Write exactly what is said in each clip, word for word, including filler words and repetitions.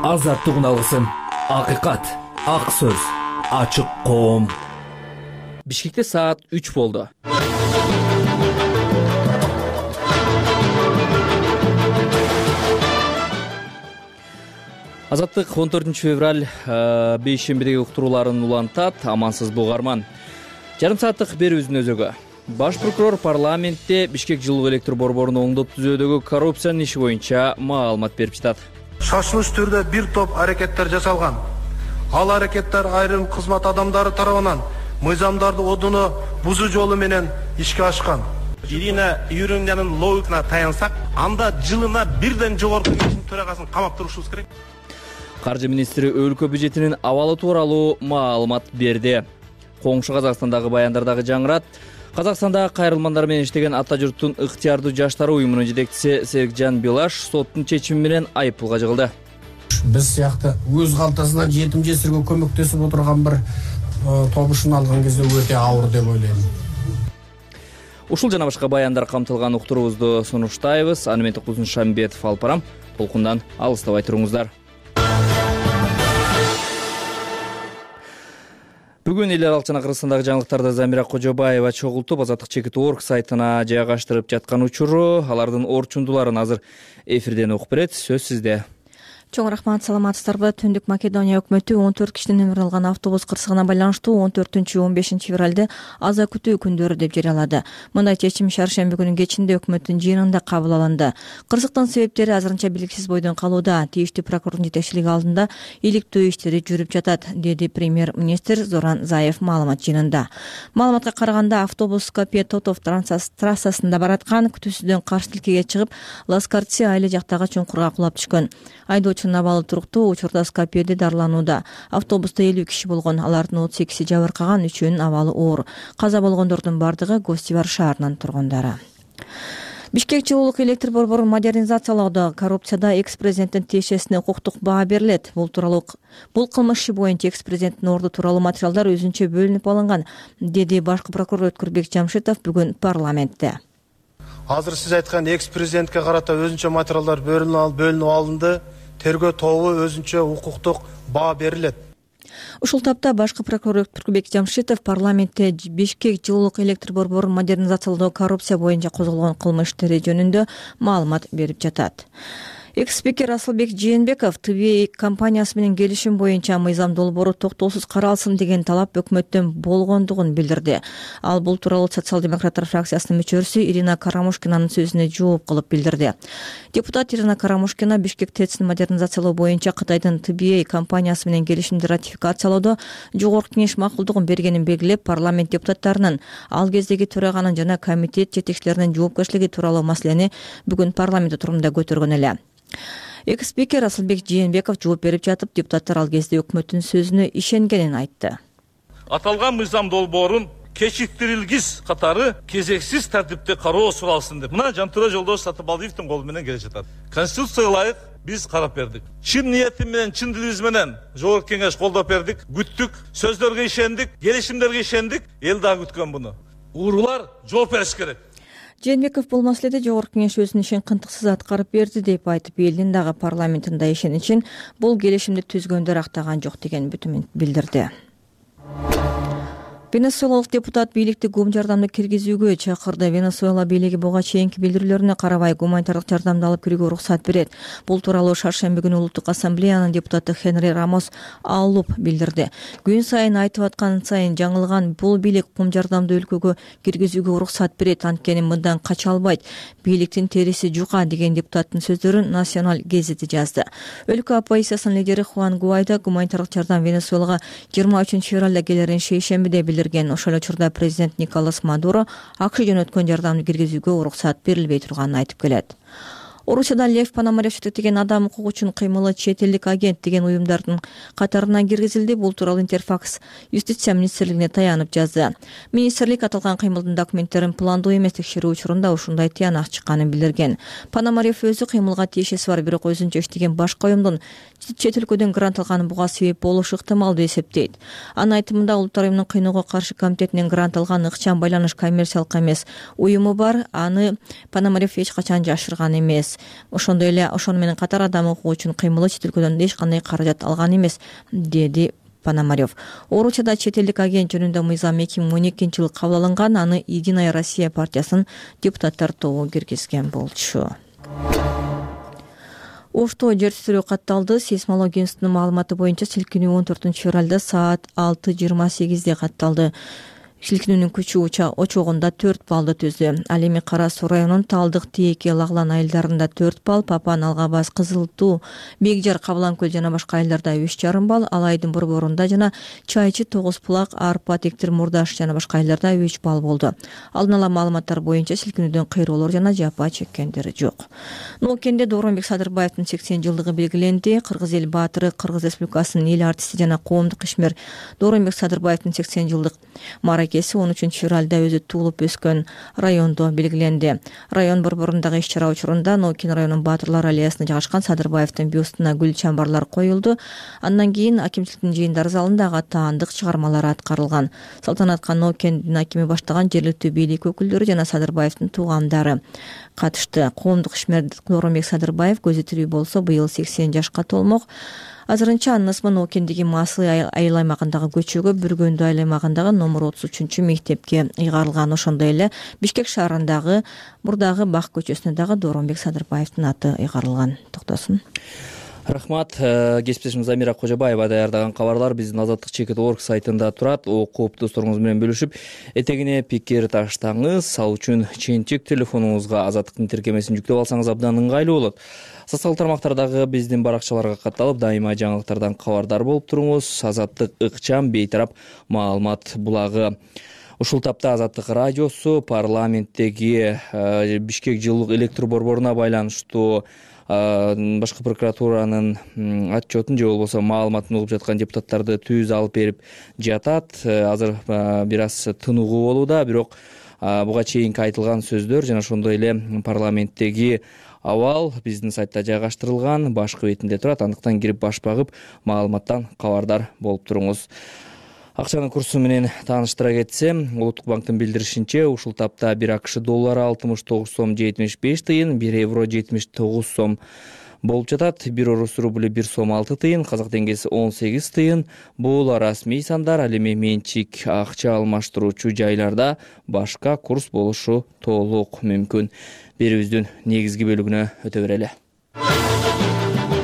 азаттык алсын. Акыйкат, ак сөз, ачык коом. Бишкекте саат үч болду. Азаттык он төртүнчү февраль бейшембидеги уктурууларын улантат. Амансыз бугарман. Жарым сааттык берүүбүздүн өзөгү. Баш прокурор парламентте Бишкек жылуу электр борборун оңдоп түзүүдөгү коррупциянын иши боюнча маалымат берип жатат. Шашылыш түрдө бир топ аракеттер жасалган. Ал аракеттер айрым кызмат адамдары тарабынан мыйзамдарды одуну бузуу жолу менен ишке ашкан. Ирина Юрьевнанын логикасына таянсак, анда жылына бирден жогорку кеңештин төрагасын камап турушубуз керек. Каржы министри өлкө бюджетинин абалы тууралуу маалымат берди. Коңшу Казакстандагы баяндардагы жаңырат. Казакстанда кайрылмандар менен иштеген ата журттун ыктыярдуу жаштары уюмунун жетекчиси Серикжан Билаш соттун чечими менен айыппулга жыгылды. Биз сыякты өз калтасынан жетим жесирге көмөктөсүп отурган бир тобушун алган кезде өтө ауыр деп ойлойм. Ушул жана башка баяндар камтылган уктуруубузду сунуштайбыз. Аны мен Токузун Шамбетов алып барам. Толкундан алыстабай туруңуздар. Бүгүн эл аралык жана Кыргызстандагы жаңылыктарды Замира Кожобаева чогултуп, Азаттык чекит орг сайтына жайгаштырып жаткан учуру, алардын орчундуларын азыр эфирден окуп берет. Сөз сизде. Чоң рахмат, саламатсыздарбы? Түндүк Македония өкмөтү он төрт кишинин өмүрүн алган автобус кырсыгына байланыштуу он төртүнчү он бешинчи февралды аза күтүү күндөрү деп жарыялады. Мындай чечим шаршемби күнүнүн кечинде өкмөттүн жыйынында кабыл алынды. Кырсыктын себептери азырынча белгисиз бойдон калууда. Тийиштүү прокурордун жетекчилиги алдында иликтөө иштери жүрүп жатат, деди премьер-министр Зоран Заев маалымат жыйынында. Маалыматка караганда автобус Скопье-Тотов трассасында бараткан, күтүүсүздөн каршы тилкеге чыгып, Ласкарти айылы жактагы чуңкурга кулап түшкөн. Айдоочунун абалы туруктуу, учурда Скопьеде дарыланууда. Автобуста элүү киши болгон, алардын отуз экиси жабыркаган, үчөөнүн абалы оор. Каза болгондордун бардыгы Гостивар шаарынын тургундары. Бишкек жылуулук электр борборун модернизациялоодо коррупцияда экс-президенттин тиешесине укуктук баа берилет. Бул тууралуу бул кылмыш иши боюнча экс-президенттин орду тууралуу материалдар өзүнчө бөлүнүп алынган, деди баш прокурор Өткүрбек Жамшитов бүгүн парламентте. Азыр сиз айткан экс-президентке карата өзүнчө материалдар бөлүнүп алынды. Тергөө тобу өзүнчө укуктук баа берилет. Ушул тапта башкы прокурор Өткүрбек Жамшитов парламентте Бишкек жылуулук электр борборун модернизациялоодо коррупция боюнча козголгон кылмыш иштери жөнүндө маалымат берип жатат. Экс-спикер Асылбек Жээнбеков Т В А компаниясы менен келишим боюнча мыйзам долбоору токтоосуз каралсын деген талап өкмөттөн болгондугун билдирди. Ал бул тууралуу социал-демократтар фракциясынын мүчөсү Ирина Карамушкинанын сөзүнө жооп кылып билдирди. Депутат Ирина Карамушкина Бишкек ТЭЦин модернизациялоо боюнча Кытайдын Т В А компаниясы менен келишимди ратификациялоодо жогорку кеңеш макулдугун бергенин белгилеп, парламент депутаттарынын, ал кездеги төраганын жана комитет жетекчилеринин жоопкерчилиги тууралуу маселени бүгүн парламент отурумунда көтөргөн эле. Экс-спикер Асылбек Жээнбеков жооп берип жатып, депутаттар ал кезде өкмөттүн сөзүнө ишенгенин айтты. Аталган мыйзам долбоорун кечиктирилгис катары кезексиз тартипте кароо суралсын деп мына Жантура Жолдош Сатыбалдиевдин колу менен келе жатат. Конституцияга ылайык биз карап бердик. Чын ниетим менен, чын дилибиз менен жогорку кеңеш колдоп бердик, күттүк, сөздөргө ишендик, келишимдерге ишендик, эл дагы күткөн буну. Уурулар жооп бериш керек. Жээнбеков бул маселеде жогорку кеңеш өзүнүн ишин кынтыксыз аткарып берди деп айтып, элдин дагы парламентинде ишеничин бул келишимди түзгөндөр актаган жок деген бүтүмүн билдирди. Венесуэлалык депутат бийликти гум жардамды киргизүүгө чакырды. Венесуэла бийлиги буга чейинки билдирүүлөрүнө карабай гуманитардык жардамды алып кирүүгө уруксат берет. Бул тууралуу шаршемби күнү Улуттук ассамблеянын депутаты Хенри Рамос Аллуп билдирди. Күн сайын айтып аткан сайын жаңылган бул бийлик гум жардамды өлкөгө киргизүүгө уруксат берет, анткени мындан кача албайт. Бийликтин териси жука деген депутаттын сөздөрүн Национал гезити жазды. Өлкө оппозициясынын лидери Хуан Гуайдо гуманитардык жардам Венесуэлага жыйырма үчүнчү февралда келерин шейшембиде билдирди. Ошол учурда президент Николас Мадуро АКШ жөнөткөн жардамды киргизүүгө уруксат берилбей турганын айтып келет. Орусияда Лев Пономарев жетектеген адам укугу үчүн кыймылы чет элдик агент деген уюмдардын катарына киргизилди. Бул тууралуу Интерфакс Юстиция министрлигине таянып жазды. Министрлик аталган кыймылдын документтерин пландуу эмес текшерүү учурунда ушундай тыянак чыкканын билдирген. Пономарев өзү кыймылга тиешеси бар, бирок өзүнчө иштеген башка уюмдун чет өлкөдөн грант алганы буга себеп болушу ыктымал деп эсептейт. Анын айтымында Улуттар уюмунун кыйноого каршы комитетинен грант алган ыкчам байланыш коммерциялык эмес уюму бар, аны Пономарев эч качан жашырган эмес. эмес. Ошондой эле ошону менен катар адам окуу үчүн кыймылы чет өлкөдөн эч кандай каражат алган эмес, деди Пономарев. Орусияда чет элдик агент жөнүндө мыйзам эки миң он экинчи жылы кабыл алынган, аны Единая Россия партиясынын депутаттар тобу киргизген болчу. Ошто жер титирөө катталды. Сейсмология институтунун маалыматы боюнча силкинүү он төртүнчү февралда саат алты жыйырма сегизде катталды. Силкинүүнүн күчү очогунда төрт баллды түздү. Ал эми Кара Суу районунун Талдык, Тээке, Лаглан айылдарында төрт балл, Папан, Алгабас, Кызыл Туу, Бекжар, Кабылан көл жана башка айылдарда үч жарым балл, Алайдын борборунда жана Чайчы, Тогуз Булак, Арпа, Тектир, Мурдаш жана башка айылдарда үч балл болду. Алдын ала маалыматтар боюнча силкинүүдөн кыйроолор жана жапа чеккендер жок. Ноокенде Дооронбек Садырбаевдин сексен жылдыгы белгиленди. Кыргыз эл баатыры, Кыргыз Республикасынын эл артисти жана коомдук ишмер Дооронбек Садырбаевдин сексен жылдык маракеси он үчүнчү февралда өзү туулуп өскөн райондо белгиленди. Район борборундагы иш-чара учурунда Ноокин районунун баатырлар аллеясына жайгашкан Садырбаевдин бюстуна гүл чамбарлар коюлду. Андан кийин акимчиликтин жыйындар залында ага таандык чыгармалар аткарылган. Салтанатка Ноокендин акими баштаган жергиликтүү бийлик өкүлдөрү жана Садырбаевдин туугандары катышты. Коомдук ишмер Дооронбек Садырбаев көзү тирүү болсо быйыл сексен жашка толмок. Азырынча анын ысмы Ноокендеги Масый айыл аймагындагы көчөгө, Бүргөндү айыл аймагындагы номер отуз үчүнчү мектепке ыйгарылган. Ошондой эле Бишкек шаарындагы мурдагы Бак көчөсүнө дагы Дооронбек Садырбаевдин аты ыйгарылган. Токтосун. Рахмат. Кесиптешим Замира Кожобаева даярдаган кабарлар биздин азаттык чекит точка орг сайтында турат. Окуп досторуңуз менен бөлүшүп, этегине пикир таштаңыз. Ал үчүн ченчик телефонуңузга азаттыктын тиркемесин жүктөп алсаңыз абдан ыңгайлуу болот. Социалдык тармактардагы биздин баракчаларга катталып, дайыма жаңылыктардан кабардар болуп туруңуз. Азаттык ыкчам бейтарап маалымат булагы. Ушул тапта Азаттык радиосу парламенттеги Бишкек жылуулук электр борборуна байланыштуу башкы прокуратуранын отчетун же болбосо маалыматын угуп жаткан депутаттарды түз алып берип жатат. Азыр бир аз тыныгуу болууда, бирок буга чейинки айтылган сөздөр жана ошондой эле парламенттеги абал биздин сайтта жайгаштырылган, башкы бетинде турат. Андыктан кирип баш багып маалыматтан кабардар болуп туруңуз. Акчанын курсу менен тааныштыра кетсем, Улуттук банктын билдиришинче, ушул тапта бир АКШ доллары алтымыш тогуз сом жетимиш беш тыйын, бир евро жетимиш тогуз сом болуп жатат. Бир орус рубль бир сом алты тыйын, казак теңгеси он сегиз тыйын. Бул расмий сандар. Ал эми менчик акча алмаштыруучу жайларда башка курс болушу толук мүмкүн. Берүүбүздүн негизги бөлүгүнө өтө берели.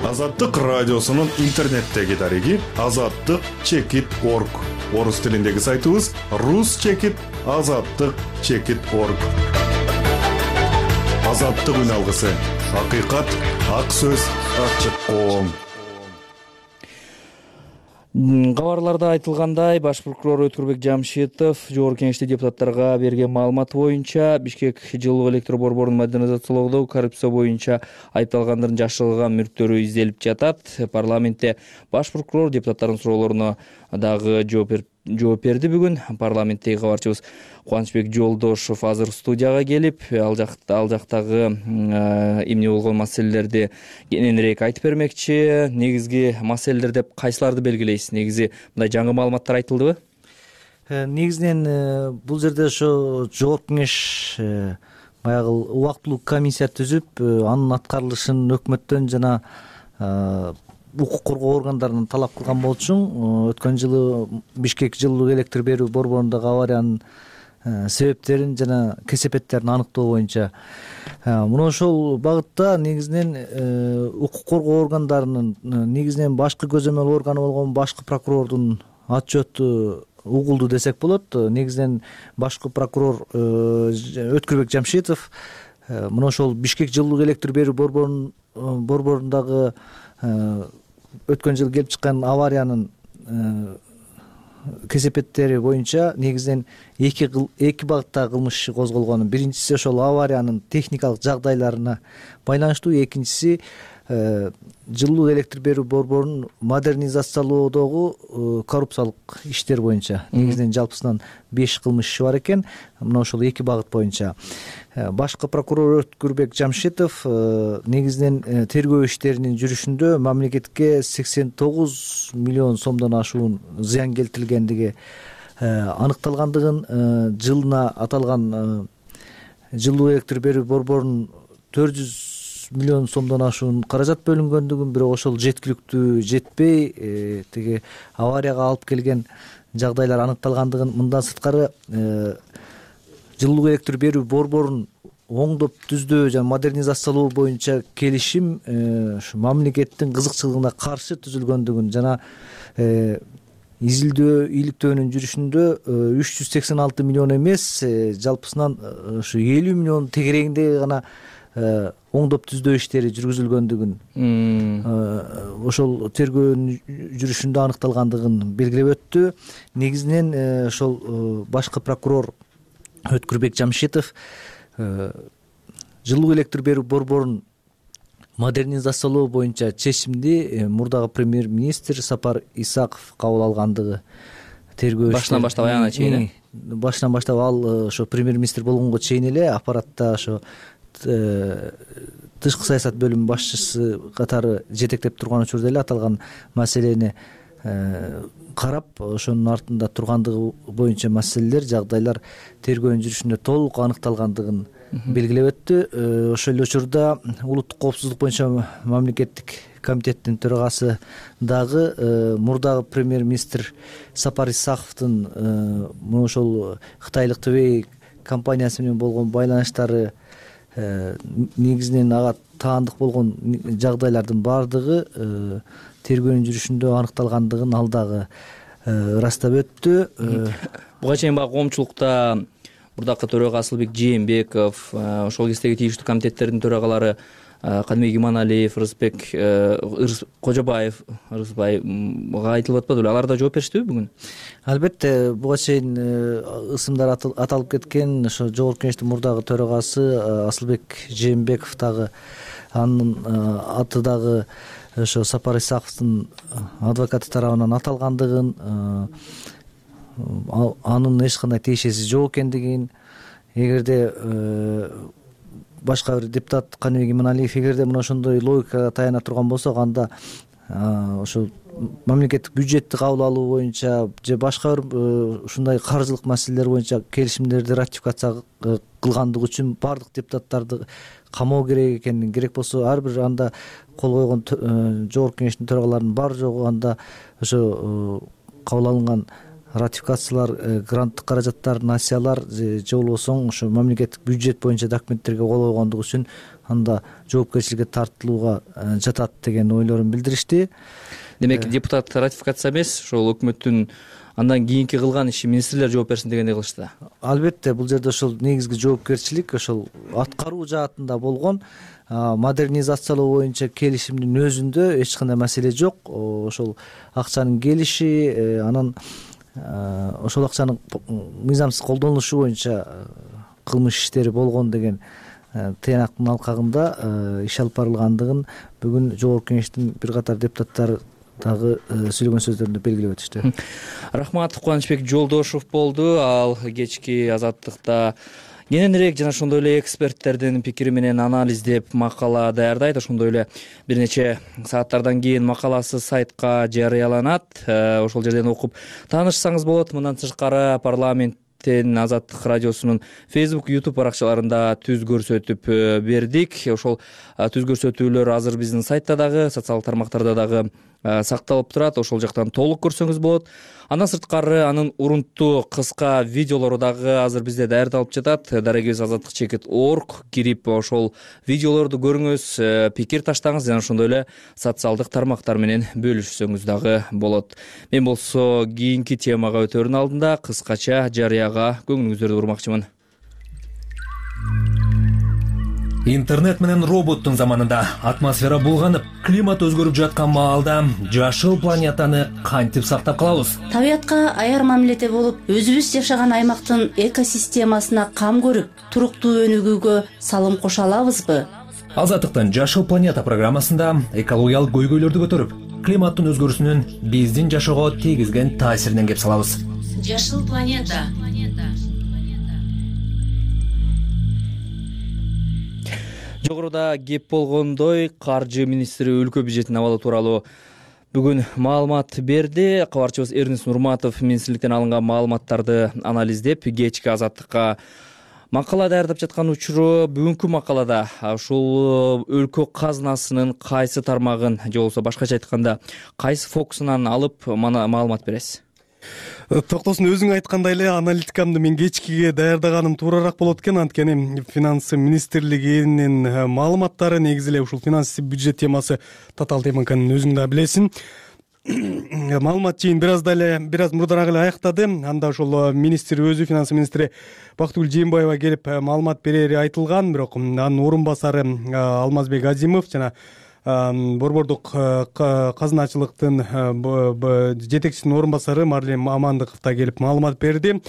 Азаттык радиосунун интернеттеги дареги азаттык чекит точка орг. Орус тилиндеги сайтыбыз рус чекит азаттык чекит точка орг. Азаттык үн алгысы. Акыйкат, ак сөз, ачык коом. Кабарларда айтылгандай, баш прокурор Өткүрбек Жамшитов жогорку кеңеште депутаттарга берген маалыматы боюнча Бишкек жылуу электр борборун модернизациялоодо коррупция боюнча айыпталгандардын жашырылган мүлктөрү изделип жатат. Парламентте баш прокурор депутаттардын суроолоруна дагы жооп берди. Бүгүн парламенттеги кабарчыбыз Кубанычбек Жолдошов азыр студияга келип, ал жакта ал жактагы эмне болгон маселелерди кененирээк айтып бермекчи. Негизги маселелер деп кайсыларды белгилейсиз? Негизи мындай жаңы маалыматтар айтылдыбы? Негизинен бул жерде ошо жогорку кеңеш баягы убактылуу комиссия түзүп, анын аткарылышын өкмөттөн жана укук коргоо органдарынан талап кылган болчу. Өткөн жылы Бишкек жылуулук электр берүү борборундагы авариянын себептерин жана кесепеттерин аныктоо боюнча мына ошол багытта негизинен укук коргоо органдарынын негизинен башкы көзөмөл органы болгон башкы прокурордун отчету угулду десек болот. Негизинен башкы прокурор Өткүрбек Жамшитов мына ошол Бишкек жылуулук электр берүү борборунун борборундагы өткөн жылы келип чыккан авариянын кесепеттери боюнча негизинен эки эки багытта кылмыш иши козголгон. Биринчиси ошол авариянын техникалык жагдайларына байланыштуу, экинчиси жылуу электр берүү борборунун модернизациялоодогу коррупциялык иштер боюнча негизинен жалпысынан беш кылмыш иши бар экен. Мына ошол эки багыт боюнча башкы прокурор Өткүрбек Жамшитов негизинен тергөө иштеринин жүрүшүндө мамлекетке сексен тогуз миллион сомдон ашуун зыян келтирилгендиги аныкталгандыгын, жылына аталган жылуу электр берүү борборунун төрт жүз миллион сомдон ашуун каражат бөлүнгөндүгүн, бирок ошол жеткиликтүү жетпей тиги аварияга алып келген жагдайлар аныкталгандыгын, мындан сырткары жылуу электр берүү борборун оңдоп түздөө жана модернизациялоо боюнча келишим ушу мамлекеттин кызыкчылыгына каршы түзүлгөндүгүн жана изилдөө иликтөөнүн жүрүшүндө үч жүз сексен алты миллион эмес, жалпысынан ушу элүү миллион тегерегинде гана оңдоп түздөө иштери жүргүзүлгөндүгүн, ошол тергөөнүн жүрүшүндө аныкталгандыгын белгилеп өттү. Негизинен ошол башкы прокурор Өткүрбек Жамшитов жылуу электр берүү борборун модернизациялоо боюнча чечимди мурдагы премьер-министр Сапар Исаков кабыл алгандыгы тергөө башынан баштап аягына чейин башынан баштап ал ошо премьер-министр болгонго чейин эле аппаратта ошо тышкы саясат бөлүмүнүн башчысы катары жетектеп турган учурда эле аталган маселени карап, ошонун артында тургандыгы боюнча маселелер, жагдайлар тергөөнүн жүрүшүндө толук аныкталгандыгын белгилеп өттү. Ошол эле учурда улуттук коопсуздук боюнча мамлекеттик комитеттин төрагасы дагы мурдагы премьер-министр Сапар Исаковдун мына ошол кытайлык Твей компаниясы менен болгон байланыштары, негизинен ага таандык болгон жагдайлардын баардыгы тергөөнүн жүрүшүндө аныкталгандыгын ал дагы ырастап өттү. Буга чейин баягы коомчулукта мурдакы төрага Асылбек Жээнбеков, ошол кездеги тийиштүү комитеттердин төрагалары Кадымбек Иманалиев, Ырысбек Кожобаев, Ырысбайга айтылып атпады беле? Алар да жооп бериштиби бүгүн? Албетте, буга чейин ысымдар аталып кеткен. Ошо Жогорку Кеңештин мурдагы төрагасы Асылбек Жээнбеков дагы, анын аты дагы ошо Сапар Исаковдун адвокаты тарабынан аталгандыгын, анын эч кандай тиешеси жок экендигин, эгерде башка бир депутат Кадымбек Иманалиев эгерде мына ошондой логикага таяна турган болсок, анда ошол мамлекеттик бюджетти кабыл алуу боюнча же башка бир ушундай каржылык маселелер боюнча келишимдерди ратификация кылгандыгы үчүн баардык депутаттарды камоо керек экенин, керек болсо ар бир анда кол койгон Жогорку Кеңештин төрагаларынын бар жогу анда ошо кабыл алынган ратификациялар, гранттык каражаттар, насиялар же болбосо ошо мамлекеттик бюджет боюнча документтерге кол койгондугу үчүн анда жоопкерчиликке тартылууга жатат деген ойлорун билдиришти. Демек, депутат ратификация эмес, ошол өкмөттүн андан кийинки кылган иши министрлер жооп берсин дегендей кылышты. Албетте, бул жерде ошол негизги жоопкерчилик ошол аткаруу жаатында болгон. Модернизациялоо боюнча келишимдин өзүндө эч кандай маселе жок. Ошол акчанын келиши, анан ошол акчанын мыйзамсыз колдонулушу боюнча кылмыш иштери болгон деген тыянактын алкагында иш алып барылгандыгын бүгүн Жогорку Кеңештин бир катар депутаттары дагы сүйлөгөн сөздөрүндө белгилеп өтүштү. Рахмат. Кубанычбек Жолдошов болду. Ал кечки Азаттыкта кененирээк жана ошондой эле эксперттердин пикири менен анализдеп макала даярдайт. Ошондой эле бир нече сааттардан кийин макаласы сайтка жарыяланат. Ошол жерден окуп таанышсаңыз болот. Мындан тышкары парламент Азаттык радиосунун Facebook, YouTube баракчаларында түз көрсөтүп бердик. Ошол түз көрсөтүүлөр азыр биздин сайтта дагы, социалдык тармактарда дагы сакталып турат. Ошол жактан толук көрсөңүз болот. Андан сырткары анын урунттуу кыска видеолору дагы азыр бизде даярдалып жатат. Дарегибиз азаттык чекит орг кирип ошол видеолорду көрүңүз, пикир таштаңыз жана ошондой эле социалдык тармактар менен бөлүшсөңүз дагы болот. Мен болсо кийинки темага өтөрүн алдында кыскача жарыяга көңүлүңүздөрдү бурмакчымын. Интернет менен роботтун заманында атмосфера булганып, климат өзгөрүп жаткан маалда жашыл планетаны кантип сактап калабыз? Табиятка аяр мамиледе болуп, өзүбүз жашаган аймактын экосистемасына кам көрүп, туруктуу өнүгүүгө салым кошо алабызбы? Азаттыктын Жашыл планета программасында экологиялык көйгөйлөрдү көтөрүп, климаттын өзгөрүүсүнүн биздин жашоого тийгизген таасиринен кеп салабыз. Жашыл планета. Жогоруда кеп болгондой, каржы министри өлкө бюджетин абалы тууралуу бүгүн маалымат берди. Кабарчыбыз Эрнис Нурматов министрликтен алынган маалыматтарды анализдеп, кечки Азаттыкка Макала даярдап жаткан учуру бүгүнкү макалада ушул өлкө казынасынын кайсы тармагын же болбосо башкача айтканда кайсы фокусунан алып мана маалымат бересиз? Токтосун өзүң айткандай эле аналитикамды мен кечкиге даярдаганым туурараак болот экен, анткени финанс министрлигинин маалыматтары негизи эле ушул финанс бюджет темасы татаал тема экенин өзүң да билесиң. Маалымат жыйын бир аз дале бир аз мурдараак эле аяктады. Анда ошол министр өзү, финанс министри Бактыгүл Жээнбаева келип маалымат берери айтылган, бирок анын орун басары Алмазбек Азимов жана борбордук казыначылыктын жетекчисинин орун басары Марлен Амандыков да келип маалымат берди.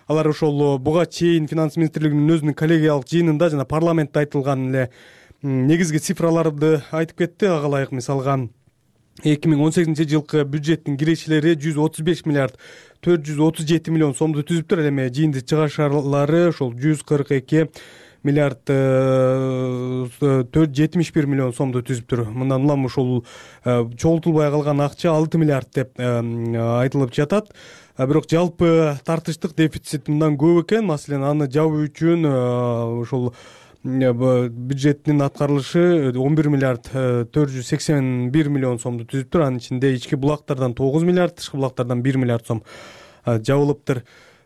Алар ошол буга чейин финанс министрлигинин өзүнүн коллегиялык жыйынында жана парламентте айтылган эле негизги цифраларды айтып кетти. Ага ылайык мисалга эки миң он сегизинчи жылкы бюджеттин кирешелери жүз отуз беш миллиард төрт жүз отуз жети миллион сомду түзүптүр. Ал эми жыйынтык чыгышарлары ошол жүз кырк эки миллиард төрт жүз жетимиш бир миллион сомду түзүптүр. Мындан улам ушул чогултулбай калган акча алты миллиард деп айтылып жатат. Бирок жалпы тартыштык дефицит мындан көп экен. Маселен, аны жабуу үчүн ошол бюджеттин аткарылышы он бир миллиард төрт жүз сексен бир миллион сомду түзүптүр. Анын ичинде ички булактардан тогуз миллиард, тышкы булактардан бир миллиард сом жабылыптыр.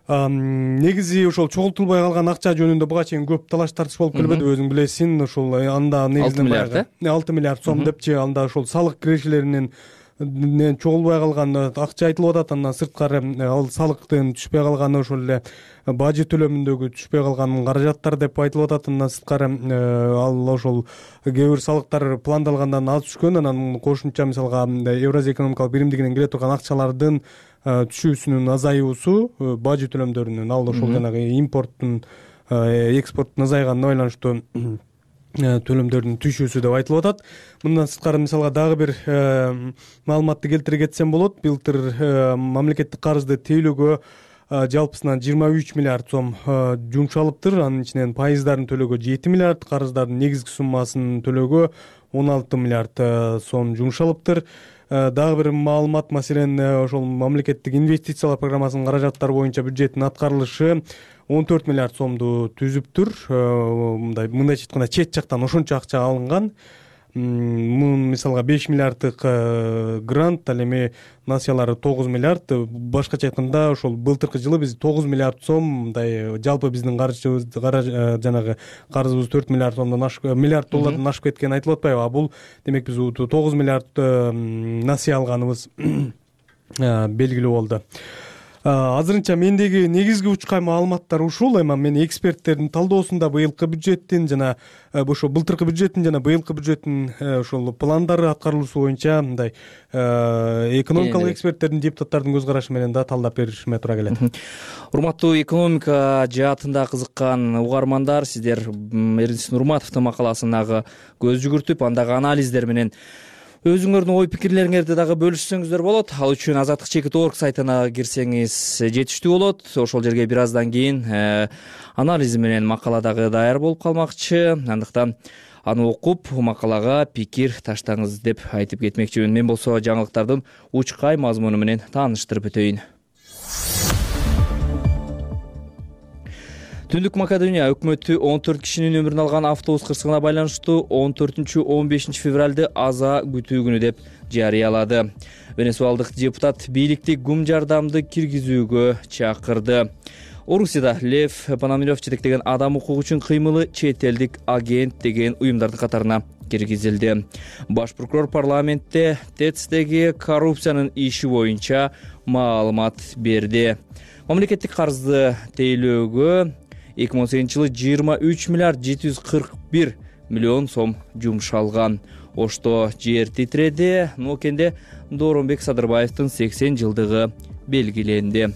Негизи ошол чогултулбай калган акча жөнүндө буга чейин көп талаш тартыш болуп келбеди, өзүң билесиң. Ошол анда негизинен алты миллиард сом депчи, анда ошол салык кирешелеринин чогулбай калган акча айтылып атат. Андан сырткары ал салыктын түшпөй калганы, ошол эле бажы төлөмүндөгү түшпөй калган каражаттар деп айтылып атат. Андан сырткары ал ошол кээ бир салыктар пландалгандан аз түшкөн. Анан кошумча мисалга Евразия экономикалык биримдигинен келе турган акчалардын түшүүсүнүн азаюусу, бажы төлөмдөрүнүн, ал ошол жанагы импорттун, экспорттун азайганына байланыштуу төлөмдөрдүн түшүүсү деп айтылып атат. Мындан сырткары мисалга дагы бир маалыматты келтире кетсем болот. Былтыр мамлекеттик карызды тейлөөгө жалпысынан жыйырма үч миллиард сом жумшалыптыр. Анын ичинен пайыздарын төлөөгө жети миллиард, карыздардын негизги суммасын төлөөгө он алты миллиард сом жумшалыптыр. Дагы бир маалымат, маселен, ошол мамлекеттик инвестициялар программасынын каражаттары боюнча бюджеттин аткарылышы он төрт миллиард сомду түзүптүр. Мындай мындайча айтканда чет жактан ошончо акча алынган. Мун мисалга беш миллиарддык грант, ал эми насыялары тогуз миллиард. Башкача айтканда ошол былтыркы жылы биз тогуз миллиард сом, мындай жалпы биздин каржыбыз жанагы карызыбыз төрт миллиард сомдон ашып, миллиард доллардан ашып кеткени айтылып атпайбы? А бул демек биз тогуз миллиард насыя алганыбыз белгилүү болду. Азырынча мендеги негизги учкай маалыматтар ушул. Эми мен эксперттердин талдоосунда быйылкы бюджеттин жана ошо былтыркы бюджеттин жана быйылкы бюджеттин ошол пландары аткарылуусу боюнча мындай экономикалык эксперттердин, депутаттардын көз карашы менен да талдап беришиме туура келет. Урматтуу экономика жаатында кызыккан угармандар, сиздер Эрдис Нурматовдун макаласына көз жүгүртүп, андагы анализдер менен өзүңөрдүн ой пикирлериңерди дагы бөлүшсөңүздөр болот. Ал үчүн азаттык чекит точка орг сайтына кирсеңиз жетиштүү болот. Ошол жерге бир аздан кийин анализи менен макала дагы даяр болуп калмакчы. Андыктан аны окуп, макалага пикир таштаңыз деп айтып кетмекчимин. Мен болсо жаңылыктардын учкай мазмуну менен тааныштырып өтөйүн. Түндүк Македония өкмөтү он төрт кишинин өмүрүн алган автобус кырсыгына байланыштуу он төртүнчү он бешинчи февралды аза күтүү күнү деп жарыялады. Венесуалдык депутат бийликти гум жардамды киргизүүгө чакырды. Орусияда Лев Пономарев жетектеген адам укугу үчүн кыймылы чет элдик агент деген уюмдардын катарына киргизилди. Баш прокурор парламентте ТЭЦдеги коррупциянын иши боюнча маалымат берди. Мамлекеттик карызды тейлөөгө эки миң он сегизинчи жылы жыйырма үч миллиард жети жүз кырк бир миллион сом жумшалган. Ошто жер титиреди. Нокенде Дооронбек Садырбаевдин сексен жылдыгы белгиленди.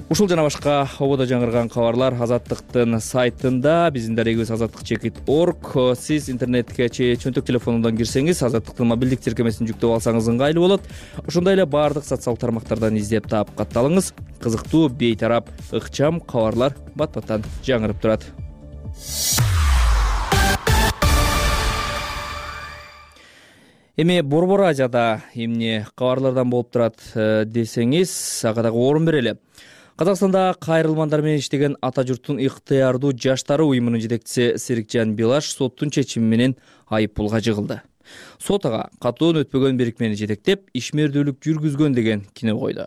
Ушул жана башка ободо жаңырган кабарлар Азаттыктын сайтында, биздин дарегибиз азаттык чекит точка орг. Сиз интернетке чөнтөк телефонунан кирсеңиз, Азаттыктын мобилдик тиркемесин жүктөп алсаңыз ыңгайлуу болот. Ошондой эле баардык социалдык тармактардан издеп таап катталыңыз. Кызыктуу, бейтарап, ыкчам кабарлар бат-баттан жаңырып турат. Эми Борбор Азияда эмне кабарлардан болуп турат десеңиз, ага дагы орун берели. Казакстанда кайрылмандар менен иштеген Ата журттун ыктыярдуу жаштары уюмунун жетекчиси Серикжан Билаш соттун чечими менен айып пулга жыгылды. Сот ага катоон өтпөгөн бирикмени жетектеп, ишмердүүлүк жүргүзгөн деген кино койду.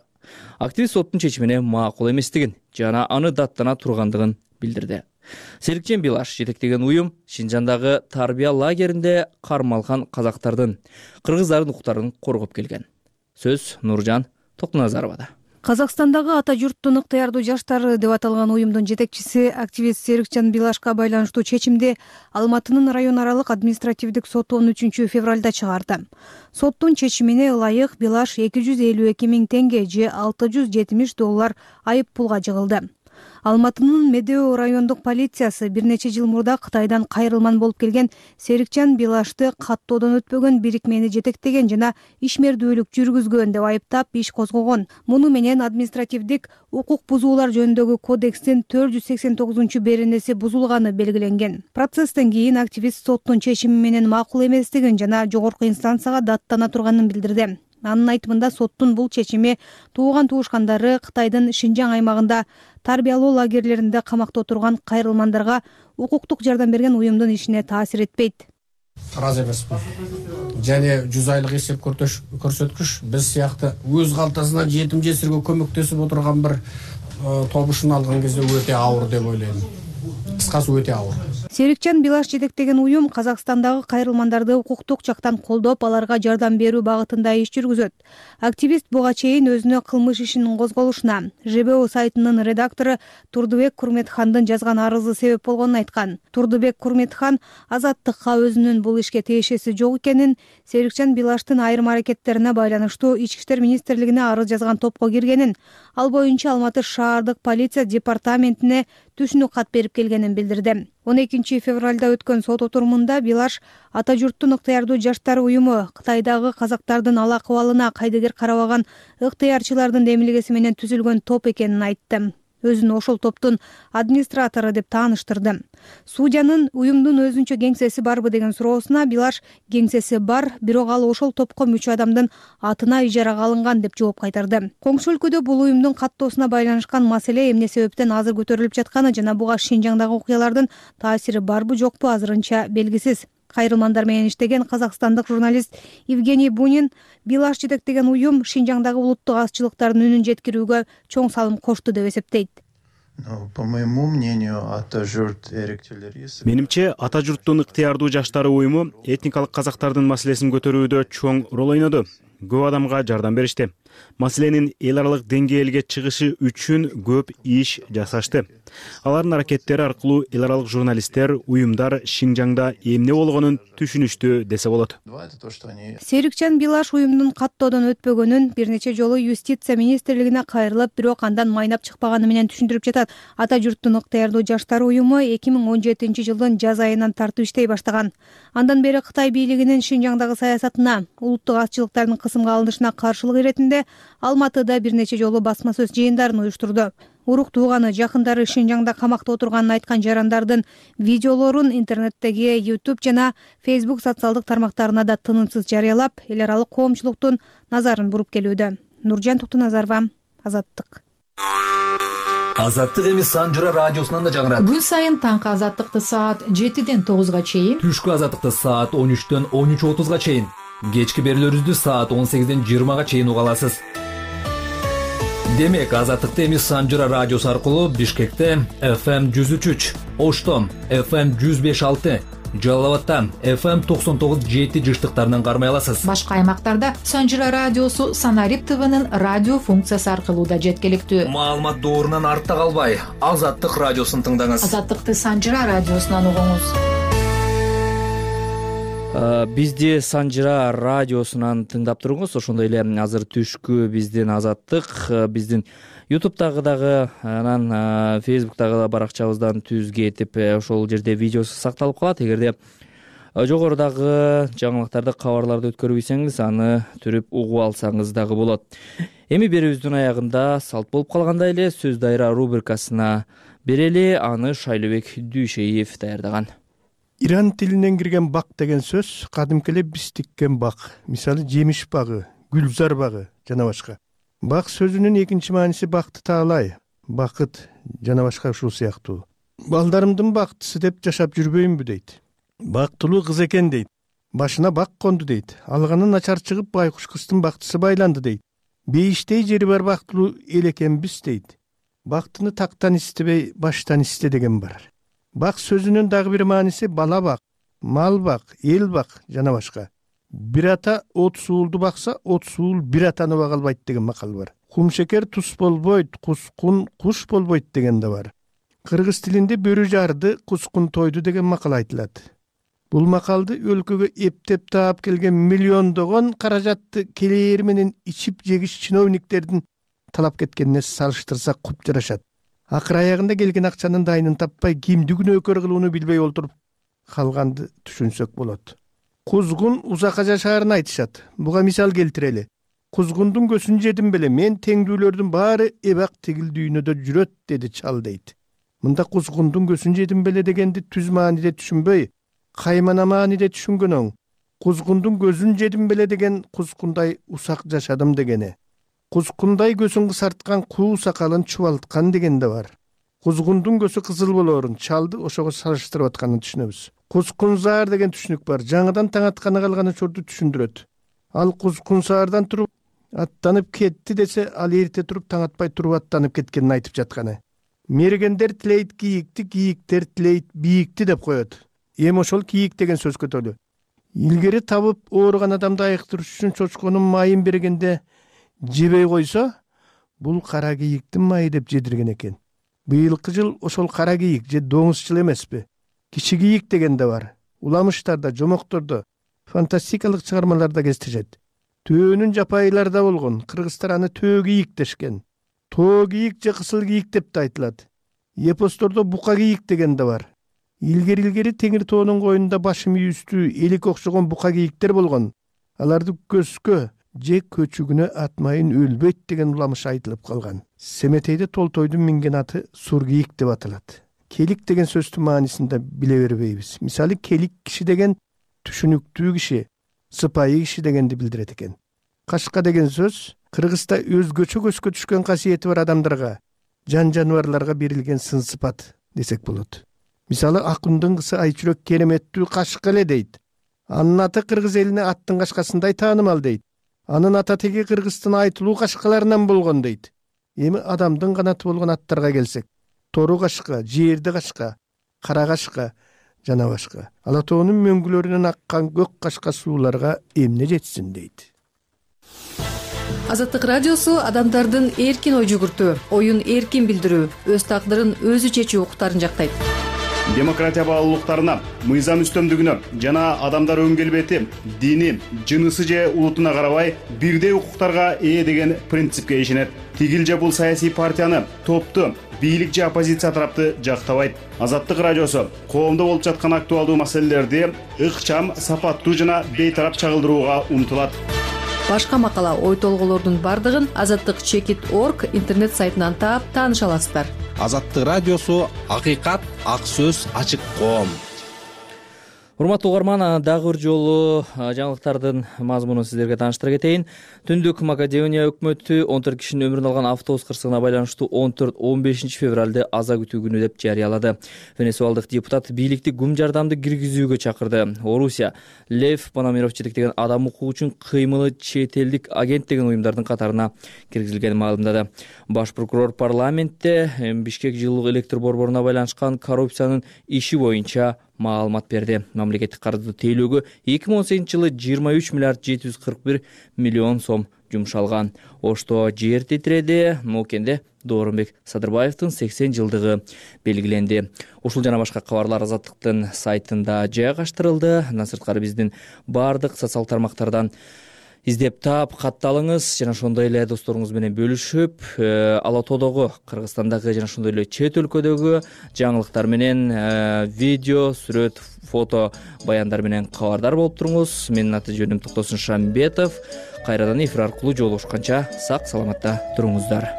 Активист соттун чечимине макул эместигин жана аны даттана тургандыгын билдирди. Серикжан Билаш жетектеген уюм Шинжандагы тарбия лагеринде кармалган казактардын, кыргыздардын укуктарын коргоп келген. Сөз Нуржан Токтоназаровада. Казакстандагы Ата журттун ыктыярдуу жаштары деп аталган уюмдун жетекчиси активист Серикжан Билашка байланыштуу чечимди Алматынын район аралык административдик соту он үчүнчү февралда чыгарды. Соттун чечимине ылайык Билаш эки жүз элүү эки миң теңге же алты жүз жетимиш доллар айып пулга жыгылды. Алматынын Медео райондук полициясы бир нече жыл мурда Кытайдан кайрылман болуп келген Серикжан Билашты каттоодон өтпөгөн бирикмени жетектеген жана ишмердүүлүк жүргүзгөн деп айыптап иш козгогон. Муну менен административдик укук бузуулар жөнүндөгү кодекстин төрт жүз сексен тогузунчу беренеси бузулганы белгиленген. Процесстен кийин активист соттун чечими менен макул эместигин жана жогорку инстанцияга даттана турганын билдирди. Анын айтымында соттун бул чечими тууган туушкандары Кытайдын Шинжаң аймагында тарбиялоо лагерлеринде камакта отурган кайрылмандарга укуктук жардам берген уюмдун ишине таасир этпейт. Ыраазы эмесмин. Және жүз айлык эсеп көрсөткүч биз сыяктуу өз калтасынан жетим жесирге көмөктөсүп отурган бир тобушун алган кезде өтө ауыр деп ойлойм. Кыскасы өтө ауыр. Серикжан Билаш жетектеген уюм Казакстандагы кайрылмандарды укуктук жактан колдоп, аларга жардам берүү багытында иш жүргүзөт. Активист буга чейин өзүнө кылмыш ишинин козголушуна ЖБО сайтынын редактору Турдубек Курметхандын жазган арызы себеп болгонун айткан. Турдубек Курметхан Азаттыкка өзүнүн бул ишке тиешеси жок экенин, Серикжан Билаштын айрым аракеттерине байланыштуу Ички иштер министрлигине арыз жазган топко киргенин, ал боюнча Алматы шаардык полиция департаментине түшүнүк кат берип келгенин билдирди. он экинчи февралда өткөн сот отурумунда Билаш Ата журттун ыктыярдуу жаштары уюму Кытайдагы казактардын ал акыбалына кайдыгер карабаган ыктыярчылардын демилгеси менен түзүлгөн топ экенин айтты. Өзүн ошол топтун администратору деп тааныштырды. Судьянын уюмдун өзүнчө кеңсеси барбы деген суроосуна Билаш кеңсеси бар, бирок ал ошол топко мүчө адамдын атына ижарага алынган деп жооп кайтарды. Коңшу өлкөдө бул уюмдун каттоосуна байланышкан маселе эмне себептен азыр көтөрүлүп жатканы жана буга Шинжаңдагы окуялардын таасири барбы жокпу азырынча белгисиз. Кайрылмандар менен иштеген казакстандык журналист Евгений Бунин Билаш жетектеген уюм Шинжаңдагы улуттук азчылыктардын үнүн жеткирүүгө чоң салым кошту деп эсептейт. По моему мнению, Ата журт эректелери. Менимче, Ата журттун ыктыярдуу жаштары уюму этникалык казактардын маселесин көтөрүүдө чоң рол ойноду. Көп адамга жардам беришти. Маселенин эл аралык деңгээлге чыгышы үчүн көп иш жасашты. Алардын аракеттери аркылуу эл аралык журналисттер, уюмдар Шинжаңда эмне болгонун түшүнүштү десе болот. Серикжан Билаш уюмдун каттоодон өтпөгөнүн бир нече жолу юстиция министрлигине кайрылып, бирок андан майнап чыкпаганы менен түшүндүрүп жатат. Ата журттун ыктыярдуу жаштары уюму эки миң он жетинчи жылдын жаз айынан тартып иштей баштаган. Андан бери Кытай бийлигинин Шинжаңдагы саясатына, улуттук азчылыктардын кысымга алынышына каршылык иретинде Алматыда бир нече жолу басма сөз жыйындарын уюштурду. Урук тууганы, жакындары Шинжаңда камакта отурганын айткан жарандардын видеолорун интернеттеги YouTube жана Facebook социалдык тармактарына да тынымсыз жарыялап, эл аралык коомчулуктун назарын буруп келүүдө. Нуржан Токтоназарова, Азаттык. Азаттык эми Санжыра радиосунан да жаңырат. Күн сайын таңкы Азаттыкты саат жетиден тогузга чейин, түшкү Азаттыкты саат он үчтөн он үч отузга чейин, кечки берүүлөрүбүздү саат он сегизден жыйырмага чейин уга аласыз. Демек, Азаттыкты эми Санжыра радиосу аркылуу Бишкекте эф эм жүз үч үч, Ошто эф эм жүз беш алты, Жалал абадта эф эм токсон тогуз жети жыштыктарынан кармай аласыз. Башка аймактарда Санжыра радиосу Санарип ТВнын радио функциясы аркылуу да жеткиликтүү. Маалымат доорунан артта калбай, Азаттык радиосун тыңдаңыз. Азаттыкты Санжыра радиосунан угуңуз. Бизди Санжыра радиосунан тыңдап туруңуз. Ошондой эле азыр түшкү биздин Азаттык биздин ютубтагы дагы анан фейсбуктагы баракчабыздан түзгө этип ошол жерде видеосу сакталып калат. Эгерде жогорудагы жаңылыктарды, кабарларды өткөрбөйсөңүз, аны түрүп угуп алсаңыз дагы болот. Эми берүүбүздүн аягында салт болуп калгандай эле сөз дайра рубрикасына берели. Аны Шайлообек Дүйшеев даярдаган. Иран тилинен кирген бак деген сөз кадимки эле биз тиккен бак, мисалы жемиш багы, гүлзар багы жана башка. Бак сөзүнүн экинчи мааниси бакты таалай. бакыт жана башка ушул сыяктуу. Балдарымдын бактысы деп жашап жүрбөйүнбү дейт. Бактылуу кыз экен дейт. Башына бак конду дейт. Алганы начар чыгып байкуш кыздын бактысы байланды дейт. Бейиштей жери бар бактылуу эл экенбиз дейт. Бактыны тактан истебей, баштан исте деген бар. Бак сөзүнүн дагы бир мааниси бала бак, мал бак, эл бак жана башка. Бир ата отуз уулду бакса, отуз уул бир атаны бага албайт деген макал бар. Кумшекер туз болбойт, кускун куш болбойт деген да бар. Кыргыз тилинде бөрү жарды, кускун тойду деген макал айтылат. Бул макалды өлкөгө эптеп таап келген миллиондогон каражатты келээр менен ичип жегиш чиновниктердин талап кеткенине салыштырсак куп жарашат. Акыр аягында келген акчанын дайынын таппай, кимди күнөөкөр кылууну билбей олтуруп калганды түшүнсөк болот. Кузгун узакка жашаарын айтышат. Буга мисал келтирели. Кузгундун көсүн жедим беле, мен теңдүүлөрдүн баары эбак тигил дүйнөдө жүрөт, деди чал дейт. Мында кузгундун көсүн жедим беле дегенди түз мааниде түшүнбөй, каймана мааниде түшүнгөн оң. Кузгундун көзүн жедим беле деген кузгундай усак жашадым дегени. Кузгундай көзүн кысарткан куу сакалын чубалткан деген да бар. Кузгундун көзү кызыл болоорун чалды ошого салыштырып атканын түшүнөбүз. Кузгунзаар деген түшүнүк бар. Жаңыдан таң атканы калган учурду түшүндүрөт. Ал кузгунзаардан туруп аттанып кетти десе, ал эрте туруп таң атпай туруп аттанып кеткенин айтып жатканы. Мергендер тилейт кийикти, кийиктер тилейт бийикти деп коет. Эми ошол кийик деген сөз көтөлү. Илгери табып ооруган адамды айыктырыш үчүн чочконун майын бергенде жебей койсо, бул кара кийиктин майы деп жедирген экен. Быйылкы жыл ошол кара кийик же доңуз жыл эмеспи? Кичи кийик деген да бар. Уламыштарда, жомоктордо, фантастикалык чыгармаларда кездешет. Төөнүн жапайыларда болгон, кыргыздар аны төө кийик дешкен. Тоо кийик же кысыл кийик деп да айтылат. Эпостордо бука кийик деген да бар. Илгери-илгери Теңир тоонун коюнунда башы мүйүстүү, элик окшогон бука кийиктер болгон. Аларды көскө же көчүгүнө атмайын өлбөйт деген уламыш айтылып калган. Семетейде Толтойдун минген аты сур кийик деп аталат. Келик деген сөздүн маанисин да биле бербейбиз. Мисалы, келик киши деген түшүнүктүү киши, сыпайы киши дегенди билдирет экен. Кашка деген сөз Кыргызда өзгөчө көзгө түшкөн касиети бар адамдарга, жан жаныбарларга берилген сын сыпат десек болот. Мисалы, Акындын кызы Айчүрөк кереметтүү кашка эле дейт. Анын аты кыргыз элине аттын кашкасындай таанымал дейт. Анын ата теги Кыргыздын айтылуу кашкаларынан болгон дейт. Эми адамдын канаты болгон аттарга келсек, тору кашка, жерди кашка, кара кашка жана башка. Ала тоонун мөңгүлөрүнөн аккан көк кашка сууларга эмне жетсин дейт. Азаттык радиосу адамдардын эркин ой жүгүртүү, оюн эркин билдирүү, өз тагдырын өзү чечүү укуктарын жактайт. Демократия баалуулуктарына, мыйзам үстөмдүгүнө жана адамдар өң келбети, дини, жынысы же улутуна карабай бирдей укуктарга ээ деген принципке ишенет. Тигил же бул саясий партияны, топту, бийлик же оппозиция тарапты жактабайт. Азаттык радиосу коомдо болуп жаткан актуалдуу маселелерди ыкчам, сапаттуу жана бейтарап чагылдырууга умтулат. Башка макала, ой толголордун бардыгын азаттык чекит орг интернет сайтынан таап тааныша аласыздар. Азаттык радиосу акыйкат, ак сөз, ачык коом. Урматтуу угарман, дагы бир жолу жаңылыктардын мазмунун сиздерге тааныштыра кетейин. Түндүк Македония өкмөтү он төрт кишинин өмүрүн алган автобус кырсыгына байланыштуу он төрт он бешинчи февралды аза күтүү күнү деп жарыялады. Венесуалдык депутат бийликти гум жардамды киргизүүгө чакырды. Орусия Лев Пономарев жетектеген адам укугу үчүн кыймылы чет элдик агент деген уюмдардын катарына киргизилгенин маалымдады. Баш прокурор парламентте Бишкек жылуулук электр борборуна байланышкан коррупциянын иши боюнча маалымат берди. Мамлекеттик карызды тейлөөгө эки миң он сегизинчи жылы жыйырма үч миллиард жети жүз кырк бир миллион сом жумшалган. Ошто жер титиреди, Моокенде Доорунбек Садырбаевдин сексен жылдыгы белгиленди. Ушул жана башка кабарлар Азаттыктын сайтында жайгаштырылды. Андан сырткары биздин бардык социалдык тармактардан издеп таап, катталыңыз жана ошондой эле досторуңуз менен бөлүшүп, Ала Тоодогу, Кыргызстандагы жана ошондой эле чет өлкөдөгү жаңылыктар менен видео, сүрөт, фото баяндар менен кабардар болуп туруңуз. Менин аты жөнүм Токтосун Шамбетов. Кайрадан эфир аркылуу жолугушканча сак саламатта туруңуздар.